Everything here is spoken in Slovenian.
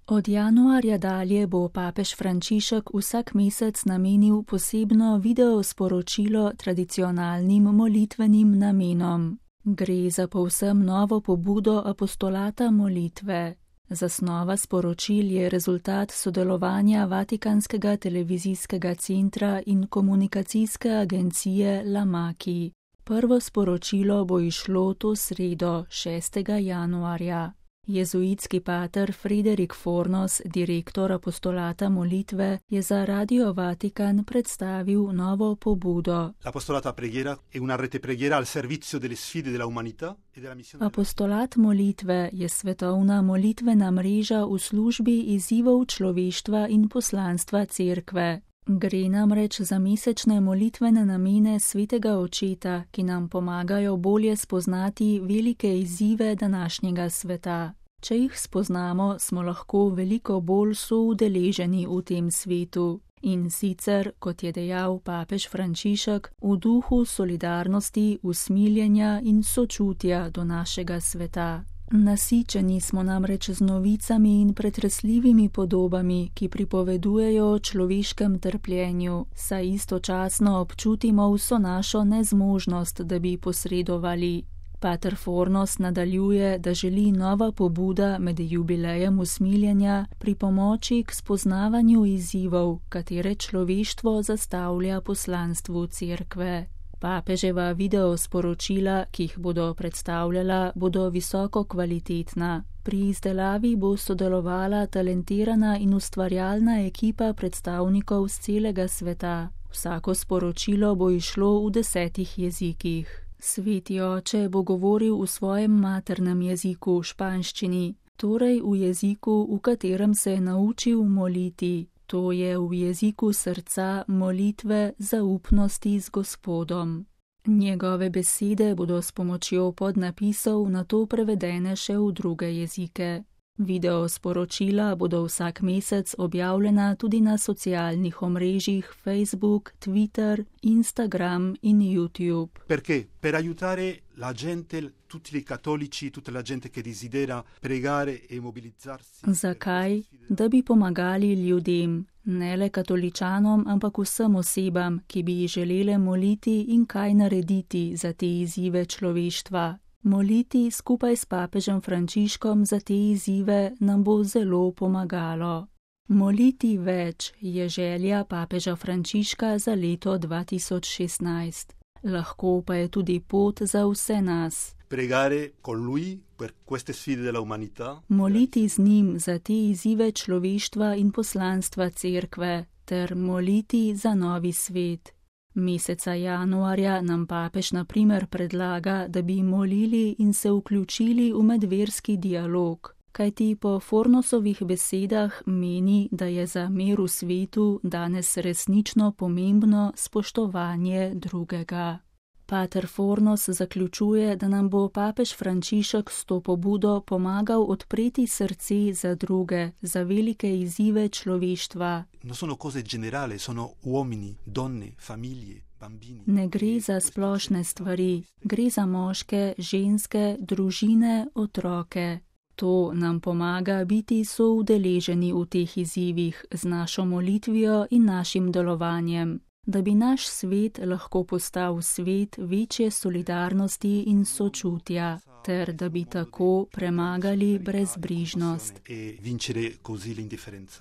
Od januarja dalje bo papež Frančišek vsak mesec namenil posebno video sporočilo tradicionalnim molitvenim namenom. Gre za povsem novo pobudo apostolata molitve. Zasnova sporočil je rezultat sodelovanja Vatikanskega televizijskega centra in komunikacijske agencije Lamaki. Prvo sporočilo bo išlo to sredo, 6. januarja. Jezuitski pater Frederik Fornos, direktor apostolata molitve, je za Radio Vatikan predstavil novo pobudo. Apostolat molitve je svetovna molitvena mreža v službi izzivov človeštva in poslanstva cerkve. Gre namreč za mesečne molitvene namene svetega očeta, ki nam pomagajo bolje spoznati velike izzive današnjega sveta. Če jih spoznamo, smo lahko veliko bolj soudeleženi v tem svetu. In sicer, kot je dejal papež Frančišek, v duhu solidarnosti, usmiljenja in sočutja do našega sveta. Nasičeni smo namreč z novicami in pretresljivimi podobami, ki pripovedujejo o človeškem trpljenju, saj istočasno občutimo vso našo nezmožnost, da bi posredovali. Pater Fornos nadaljuje, da želi nova pobuda med jubilejem usmiljenja pripomoči k spoznavanju izzivov, katere človeštvo zastavlja poslanstvu cerkve. Papeževa videosporočila, ki jih bodo predstavljala, bodo visoko kvalitetna. Pri izdelavi bo sodelovala talentirana in ustvarjalna ekipa predstavnikov z celega sveta. Vsako sporočilo bo išlo v 10 jezikih. Sveti oče bo govoril v svojem maternem jeziku, španščini, torej v jeziku, v katerem se je naučil moliti. To je v jeziku srca, molitve, zaupnosti z Gospodom. Njegove besede bodo s pomočjo podnapisov nato prevedene še v druge jezike. Video sporočila bodo vsak mesec objavljena tudi na socialnih omrežjih Facebook, Twitter, Instagram in YouTube. Perché? Per aiutare la gente, tutti i cattolici, tutta la gente che desidera pregare e mobilizzarsi. Zakaj? Da bi pomagali ljudem, ne le katoličanom, ampak vsem osebam, ki bi želele moliti in kaj narediti za te izzive človeštva. Moliti skupaj s papežem Frančiškom za te izzive nam bo zelo pomagalo. Moliti več je želja papeža Frančiška za leto 2016. Lahko pa je tudi pot za vse nas. Pregare con lui per queste sfide della umanità. Moliti z njim za te izzive človeštva in poslanstva cerkve, ter moliti za novi svet. Meseca januarja nam papež na primer predlaga, da bi molili in se vključili v medverski dialog, kajti po Fornosovih besedah meni, da je za mir v svetu danes resnično pomembno spoštovanje drugega. Pater Fornos zaključuje, da nam bo papež Frančišek s to pobudo pomagal odpreti srce za druge, za velike izzive človeštva. Ne gre za splošne stvari, gre za moške, ženske, družine, otroke. To nam pomaga biti soudeleženi v teh izzivih z našo molitvijo in našim delovanjem, da bi naš svet lahko postal svet večje solidarnosti in sočutja, ter da bi tako premagali brezbrižnost.